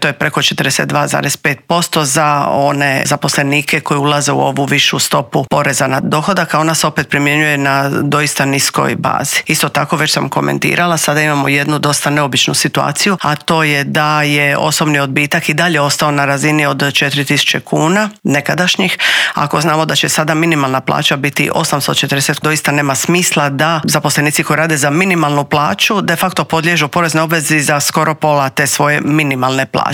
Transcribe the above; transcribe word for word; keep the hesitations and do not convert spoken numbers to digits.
to je preko četrdeset dva zarez pet posto za one zaposlenike koji ulaze u ovu višu stopu poreza na dohodak, a ona se opet primjenjuje na doista niskoj bazi. Isto tako, već sam komentirala, sada imamo jednu dosta neobičnu situaciju, a to je da je osobni odbitak i dalje ostao na razini od četiri tisuće kuna nekadašnjih. Ako znamo da će sada minimalna plaća biti osamsto četrdeset, doista nema smisla da zaposlenici koji rade za minimalnu plaću de facto podliježu porezne obvezi za skoro pola te svoje minimalne plaće.